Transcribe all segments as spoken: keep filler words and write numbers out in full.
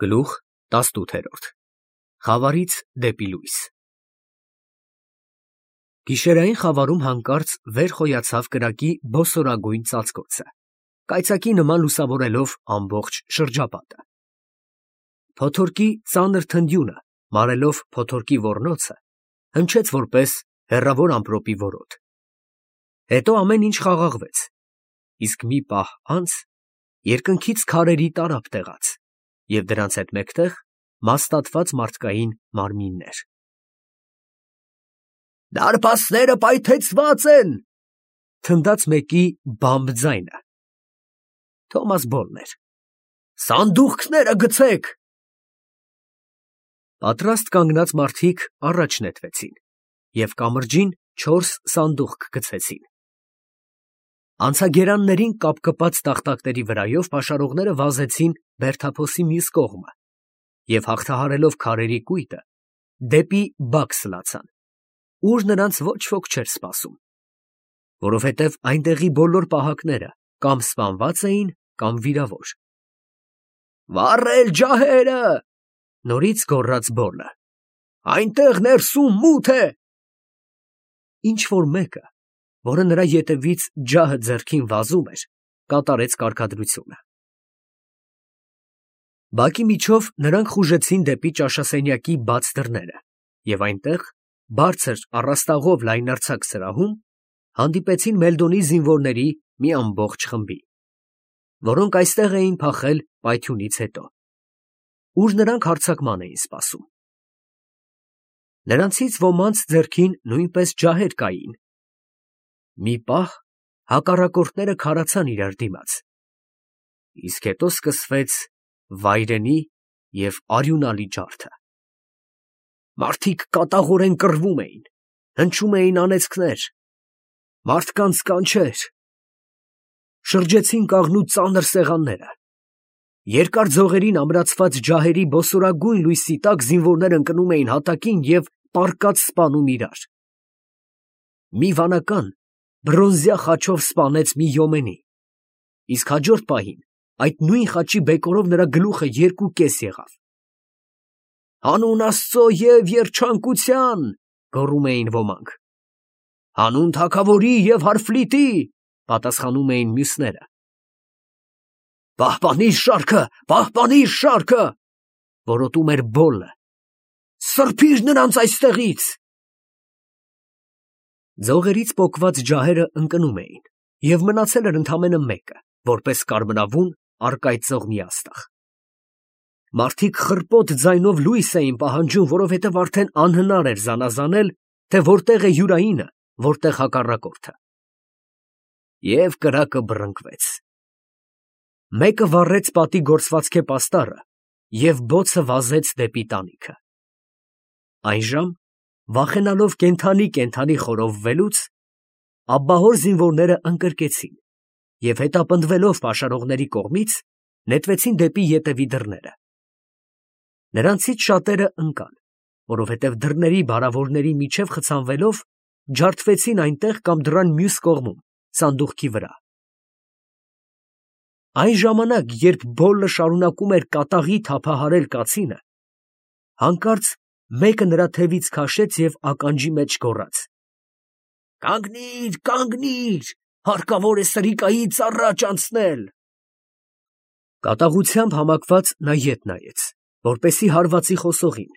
Գլուխ տասնութ Խավարից դեպի լույս։ Գիշերային խավարում հանկարծ վեր խոյացավ կրակի բոսորագույն ծածկոցը, կայծակի նման լուսավորելով ամբողջ շրջապատը։ Փոթորկի ծանր թնդյունը, մարելով փոթորկի ոռնոցը, հնչեց որպես հեռավոր ամպրոպի որոտ։ Հետո ամեն ինչ խաղաղվեց, իսկ մի պահ անց երկնքից քարերի տարափ տեղաց, և դրանց հետ մեկտեղ մաստատված մարդկային մարմիններ։ «Դարպասները պայթեցված են», թնդաց մեկի բամբ ձայնը։ Թոմաս Բոլն էր։ «Սանդուղքները գցեք»։ Պատրաստ կանգնած մարդիկ առաջ նետվեցին և կամրջին չորս սանդուղք գցեցին։ Անցագերաններին կապկպած տախտակների վրայով պաշարողները վազեցին բերդափոսի մյուս կողմը և, հաղթահարելով քարերի կույտը, դեպի բակ սլացան, ուր նրանց ոչ ոք չէր սպասում, որովհետև այնտեղի բոլոր պահակները կամ սպանված էին, կամ վիրավոր։ «Վառել ջահերը», նորից գոռաց Բոլը, «այնտեղ ներսում մութ է»։ Ինչ֊որ մեկը, որը նրա ետևից ջահը ձեռքին վազում էր, կատարեց կարգադրությունը։ Բակի միջով նրանք խուժեցին դեպի ճաշասենյակի բաց դռները և այնտեղ, բարձր առաստաղով լայնարձակ սրահում, հանդիպեցին Մելդոնի զինվորների մի ամբողջ խմբի, որոնք այստեղ էին փախել պայթյունից հետո, ուր նրանք հարձակման էին սպասում։ Նրանցից ոմանց ձեռքին նույնպես ջահեր կային։ Մի պահ հակառակորդները քարացան իրար դիմաց, իսկ հետո սկսվեց վայրենի և արյունալի ջարդը։ Մարդիկ կատաղորեն կռվում էին, հնչում էին անեծքներ, մարդկանց կանչեր։ Շրջեցին կաղնու ծանր սեղանները։ Երկար ձողերին ամրացված ջահերի բոսորագույն լույսի տակ զինվորները ընկնում էին հատակին և պառկած սպանում իրար։ Մի վանական բրոնզյա խաչով սպանեց մի յոմենի, իսկ հաջորդ պահին այդ նույն խաչի բեկորով նրա գլուխը երկու կես եղավ։ «Հանուն Աստծո և երջանկության», գոռում էին ոմանք։ «Հանուն թագավորի և հարֆլիտի», պատասխանում էին մյուսները։ «Պահպանիր շարքը, պահպանիր շարքը», որոտում էր Բոլը, «սրբիր նրանց այստեղից»։ Ձողերից պոկված ջահերը ընկնում էին, և մնացել էր ընդամենը մեկը, որպես կարմրավուն առկայծող մի աստղ։ Մարդիկ խռպոտ ձայնով լույս էին պահանջում, որովհետև արդեն անհնար էր զանազանել, թե որտեղ է յուրայինը, որտեղ հակառակորդը։ Եվ կրակը բռնկվեց։ Մեկը վառեց պատի գործվածքի պաստառը և բոցը վազեց դեպի տանիքը։ Այն ժամ, վախենալով կենդանի֊կենդանի խորովվելուց, աբբահոր զինվորները ընկրկեցին և հետապնդվելով պաշարողների կողմից, նետվեցին դեպի ետևի դռները։ Նրանցից շատերը ընկան, որովհետև դռների բարավորների միջև խցանվելով, ջարդվեցին այնտեղ կամ դռան մյուս կողմում, սանդուղքի վրա։ Այն ժամանակ, երբ Բոլը շարունակում էր կատաղի թափահարել կացինը, հանկարծ մեկը նրա թևից քաշեց և ականջի մեջ գոռաց. «Կանգնի՛ր, կանգնի՛ր, հարկավոր է սրիկայից առաջ անցնել»։ Կատաղությամբ համակված նա ետ նայեց, որպեսզի հարվածի խոսողին,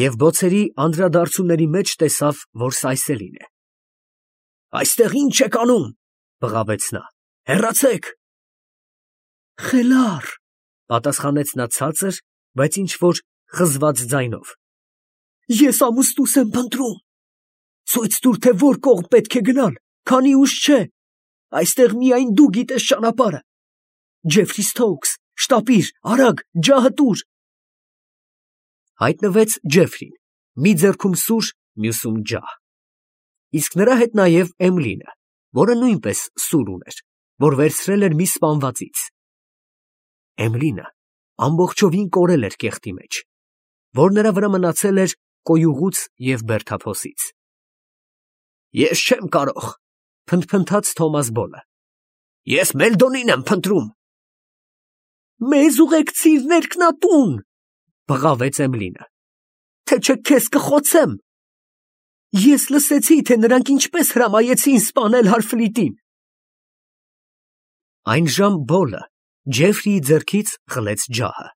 և բոցերի անդրադարձումների մեջ տեսավ, որ սա այսելին է։ «Այստեղ ի՞նչ եք անում», բղավեց նա, «հեռացեք»։ «Խելառ», պատասխանեց նա ցածր, բայց ինչ֊որ խզված ձայնով, «ես ամուսնուս եմ փնտրում։ Ցույց տուր, թե որ կողմ պետք է գնալ, քանի ուշ չէ, այստեղ միայն դու գիտես ճանապարհը։ Ջեֆրի Սթոուքս, շտապիր, արագ, ջահը տուր»։ Հայտնվեց Ջեֆրին, մի ձեռքում սուր, մյուսում ջահ, իսկ նրա հետ նաև Էմլինը, որը նույնպես սուր ուներ, որ վերցրել էր մի սպանվածից։ Էմլինը ամբողջովին կորել էր կեղտի մեջ, որ նրա վրա մնացել էր կոյուղուց և բերդափոսից։ «Ես չեմ կարող», փնթփնթաց Թոմաս Բոլը, «ես Մելդոնին եմ փնտրում»։ Մեզ ուղեկցիր ներքնատուն, բղավեց Էմլինը, թե չէ քեզ կխոցեմ։ Ես լսեցի, թե նրանք ինչպես հրամայեցին սպանել Հարֆլիտին։ Այն ժամ Բոլը Ջեֆրիի ձեռքից խլեց ջահը,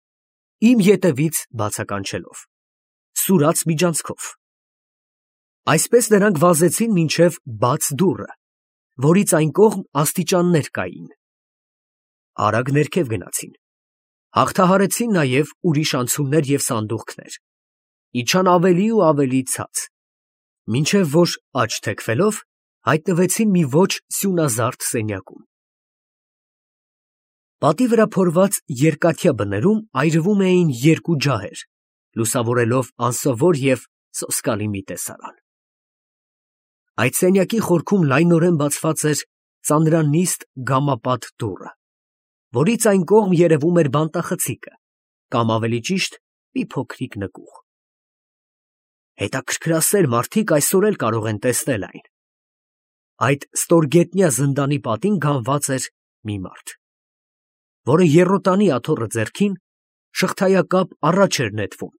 իմ ետևից բացականչելով, սուրաց միջանցքով։ Այսպես նրանք վազեցին մինչև բաց դուռը, որից այն կողմ աստիճաններ կային։ Արագ ներքև գնացին, հաղթահարեցին նաև ուրիշ անցումներ և սանդուղքներ, իջան ավելի ու ավելի ցած, մինչև որ աջ թեքվելով հայտնվեցին մի ոչ սյունազարդ սենյակում։ Պատի վրա փորված երկաթյա բներում այրվում էին երկու ջահեր, լուսավորելով անսովոր և սոսկալի մի տեսարան։ Այդ սենյակի խորքում լայնորեն բացված էր ծանրանիստ գամապատ դուռը, որից այն կողմ երևում էր բանտախցիկը, կամ ավելի ճիշտ մի փոքրիկ նկուղ։ Հետաքրքրասեր մարդիկ այսօր էլ կարող են տեսնել այն։ Այդ ստորգետնյա զնդանի պատին գանված էր մի մարդ, որը եռոտանի աթոռը ձեռքին շղթայակապ առաջ էր նետվում,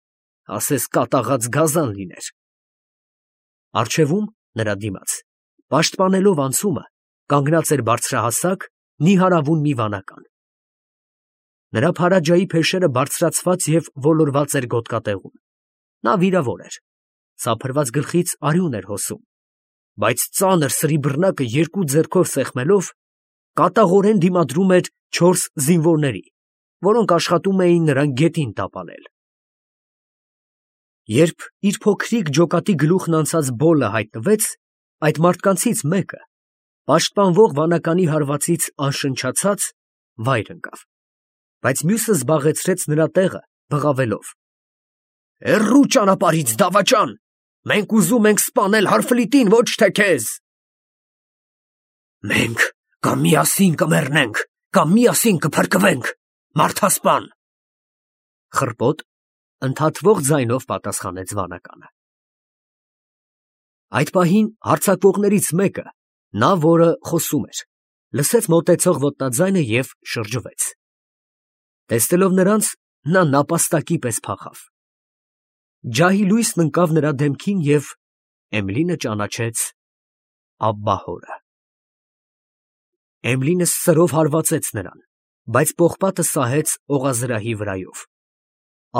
ասես կատաղած գազան լիներ։ Առջևում, նրա դիմաց, պաշտպանելով անցումը, կանգնած էր բարձրահասակ, նիհարավուն մի վանական։ Նրա փարաջայի փեշերը բարձրացված և ոլորված էր գոտկատեղում։ Նա վիրավոր էր, սափրված գլխից արյուն էր հոսում, բայց ծանր սրի բռնակը երկու ձեռքով սեղմելով, կատաղորեն դիմադրում էր չորս զինվորների, որոնք աշխատում էին նրան գետին տապալել։ Երբ իր փոքրիկ ջոկատի գլուխն անցած Բոլը հայտնվեց, այդ մարդկանցից մեկը, պաշտպանվող վանականի հարվածից անշնչացած, վայր ընկավ, բայց մյուսը զբաղեցրեց նրա տեղը, բղավելով. «Հեռու ճանապարհից, դավաճան, մենք ուզում ենք սպանել Հարֆլիտին, ոչ թե քեզ»։ «Մենք կամ միասին կմեռնենք, կամ միասին կփրկվենք, մարդասպան», խռպոտ, ընդհատվող ձայնով պատասխանեց վանականը։ Այդ պահին հարձակվողներից մեկը, նա, որը խոսում էր, լսեց մոտեցող ոտնաձայնը և շրջվեց։ Տեսնելով նրանց, նա նապաստակի պես փախավ։ Ջահի լույսն ընկավ նրա դեմքին և Էմլինը ճանաչեց աբբահորը։ Էմլինը սրով հարվածեց նրան, բայց պողպատը սահեց օղազրահի վրայով։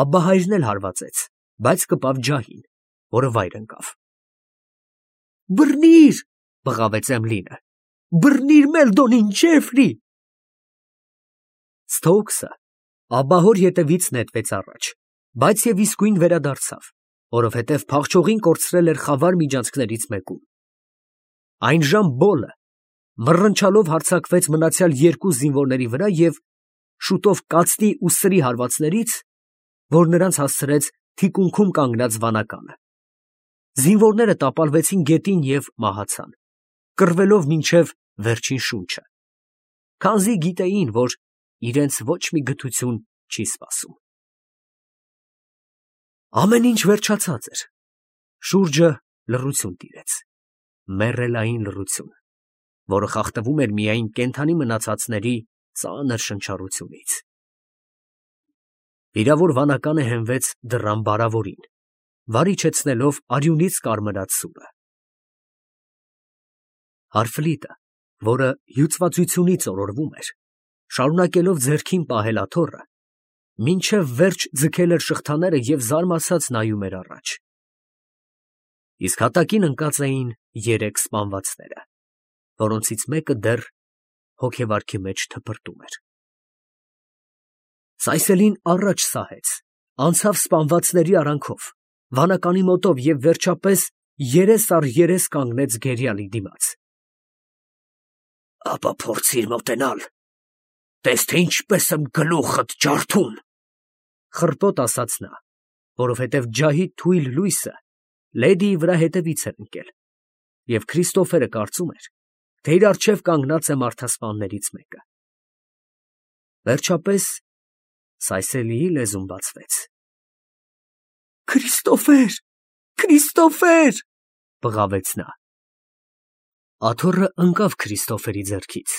Աբբահայրն էլ հարվածեց, բայց կպավ ջահին, որը վայր ընկավ։ «Բռնի՛ր», բղավեց Էմլինը, «բռնի՛ր Մելդոնին, Ջեֆրի»։ Սթոուքսը աբբահոր ետևից նետվեց առաջ, բայց և իսկույն վերադարձավ, որովհետև փախչողին կորցրել էր խավար միջանցքներից մեկում։ Այն ժամ Բոլը մռնչալով հարձակվեց մնացյալ երկու զինվորների վրա և շուտով կացնի ու սրի հարվածներից, որ նրանց հասցրեց թիկունքում կանգնած վանականը։ Զինվորները տապալվեցին գետին և մահացան, կռվելով մինչև վերջին շունչը, քանզի գիտեին, որ իրենց ոչ մի գթություն չի սպասում։ Ամեն ինչ վերջացած էր։ Շուրջը լռություն տիրեց, մեռելային լռություն, որը խախտվում էր միայն կենդանի մնացածների ծանր շնչառությունից։ Վիրավոր վանականը հենվեց դռան բարավորին, վարիչեցնելով արյունից կարմրած սուրը։ Հարֆլիտը, որը հյուծվածությունից օրորվում էր, շարունակելով ձեռքին պահել աթոռը, մինչև վերջ ձգել էր շղթաները և զարմացած նայում էր առաջ։ Իսկ հատակին ընկած էին երեք սպանվածները, որոնցից մեկը դեռ հոգեվարքի մեջ թպրտում էր։ Սայսելին առաջ սահեց, անցավ սպանվածների արանքով, վանականի մոտով և վերջապես երես առ երես կանգնեց գերիալի դիմաց։ «Ապա փորձիր մոտենալ, տես թե ինչպես եմ գլուխդ ջարդում», խռպոտ ասաց նա, որովհետև ջահի թույլ լույսը լեդիի վրա հետևից էր ընկել, և Քրիստոֆերը կարծում էր, թե իր առջև կանգնած է մարդասպաններից մեկը։ Վերջապես Սայսելիի լեզուն բացվեց։ «Քրիստոֆեր, Քրիստոֆեր», բղավեց նա։ Աթոռը ընկավ Քրիստոֆերի ձեռքից։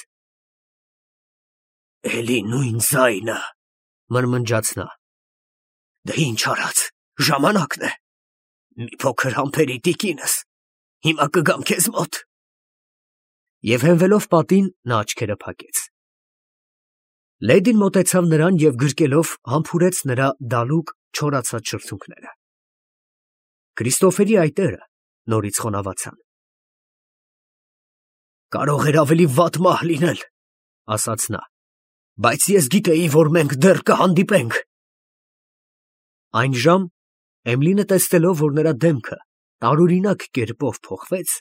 «Էլի նույն ձայնը», մրմնջաց նա։ Դե ինչ արած, ժամանակն է։ Մի փոքր համբերի տիկինս, հիմա կգամ քեզ մոտ։ Եվ հենվելով պատին, նա աչքերը փակեց։ Լեդին մոտեցավ նրան և գրկելով համբուրեց նրա դալուկ չորացած շրթունքները։ Քրիստոֆերի այտերը նորից խոնավացան։ Կարող էր ավելի վատ մահ լինել, ասաց նա, բայց ես գիտեի, որ մենք դեռ կհանդիպենք։ Այն ժամ Էմլինը տեսնելով, որ նրա դեմքը տարօրինակ կերպով փոխվեց,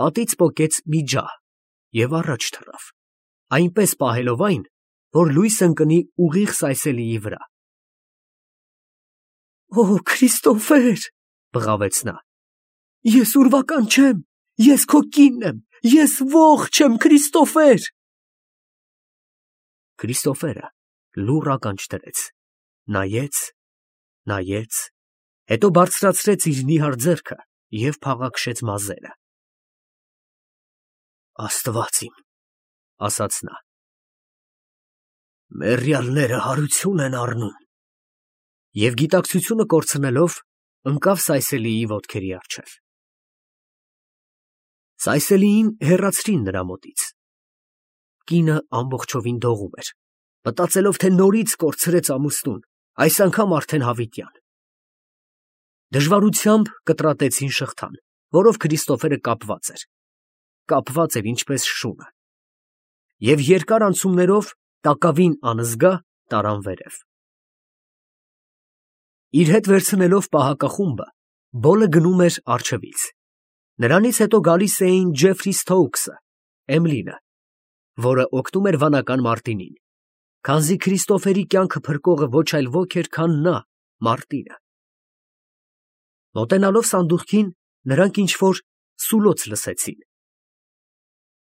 պատից պոկեց մի ջահ և առաջ թռավ, այնպես պահելով այն, որ լույս ընկնի ուղիղ Սայսելիի վրա։ Օ, Քրիստոֆեր, բղավեց նա, ես ուրվական չեմ, ես քո կինն եմ, ես ողջ եմ, Քրիստոֆեր։ Քրիստոֆերը լուռ ականջ դրեց, նայեց, նայեց, հետո բարձրացրեց իր նիհար ձեռքը և փաղաքշեց մազերը։ Աստված իմ, ասաց նա, մեռյալները հարություն են առնում, և գիտակցությունը կորցնելով ընկավ Սայսելիի ոտքերի առջև։ Սայսելիին հեռացրին նրա մոտից։ Կինը ամբողջովին դողում էր, մտածելով, թե նորից կորցրեց ամուսնուն, այս անգամ արդեն հավիտյան։ Դժվարությամբ կտրատեցին շղթան, որով Քրիստոֆերը կապված էր, կապված էր ինչպես շունը, և երկար անցումներով տակավին անզգա տարան վերև։ Իր հետ վերցնելով պահակախումբը, Բոլը գնում էր առջևից։ Նրանից հետո գալիս էին Ջեֆրի Սթոուքսը, Էմլինը, որը օգնում էր վանական Մարտինին, քանզի Քրիստոֆերի կյանքը փրկողը ոչ այլ ոք էր, քան նա, Մարտինը։ Մոտենալով սանդուղքին, նրանք ինչ-որ սուլոց լսեցին։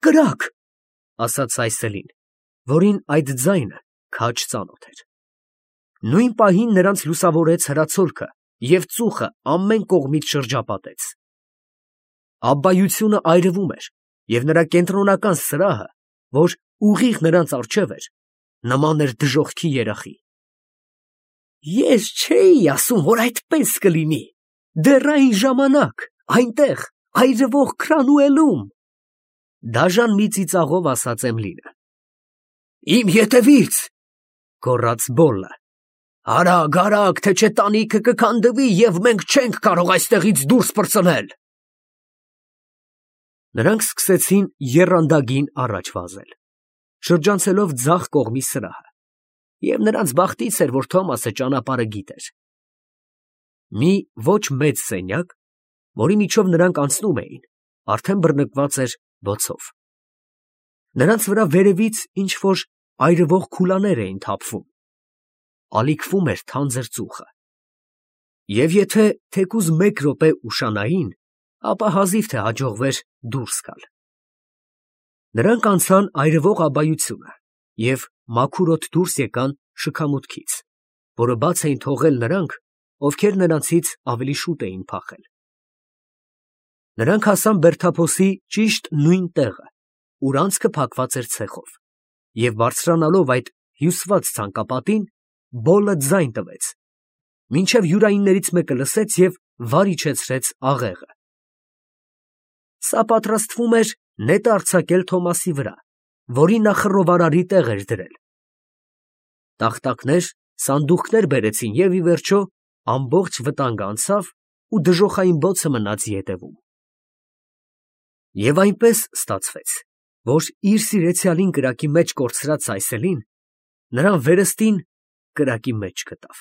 «Կրակ», ասաց Սայսելին, որին այդ ձայնը քաջ ծանոթ էր։ Նույն պահին նրանց լուսավորեց հրացոլքը և ծուխը ամեն կողմից շրջապատեց։ Աբբայությունը այրվում էր, և նրա կենտրոնական սրահը, որ ուղիղ նրանց առջև էր, նման էր դժոխքի երախի։ Ես չէի ասում, որ այդպես կլինի, դեռ այն ժամանակ, այնտեղ, այրվող Քրանուելում, դաժան մի ծիծաղով ասաց Էմլինը։ Իմ ետևից, գոռաց Բոլլը, արագ, արագ, թե չէ տանիքը կքանդվի և մենք չենք կարող այստեղից դուրս պրծնել։ Նրանք սկսեցին եռանդագին առաջ վազել, շրջանցելով ձախ կողմի սրահը, և նրանց բախտից էր, որ Թոմասը ճանապարհը գիտեր։ Մի ոչ մեծ սենյակ, որի միջով նրանք անցնում էին, արդեն բռնկված էր բոցով։ Նրանց վրա վերևից ինչ-որ այրվող քուլաներ էին թափվում, ալիքվում էր թանձր ծուխը։ Եվ եթե թեկուզ մեկ րոպե ուշանային, ապա հազիվ թե հաջողվեր դուրս գալ։ Նրանք անցան այրվող աբայությունը և մաքուրոտ դուրս եկան շքամուտքից, որը բաց էին թողել նրանք, ովքեր նրանցից ավելի շուտ էին փախել։ Նրանք հասան բերդափոսի ճիշտ նույն տեղը, ուր անցքը փակված էր ցեխով, և բարձրանալով այդ հյուսված ցանկապատին, Բոլը ձայն տվեց, մինչև յուրայիններից մեկը լսեց և վար իջեցրեց աղեղը։ Սա պատրաստվում էր նետը արձակել Թոմասի վրա, որին նա խռովարարի տեղ էր դրել։ Տախտակներ, սանդուղքներ բերեցին և, ի վերջո, ամբողջ վտանգը անցավ ու դժոխային բոցը մնաց ետևում։ Եվ այնպես ստացվեց, որ իր սիրեցյալին կրակի մեջ կորցրած Սայսելին նրան վերստին կրակի մեջ գտավ։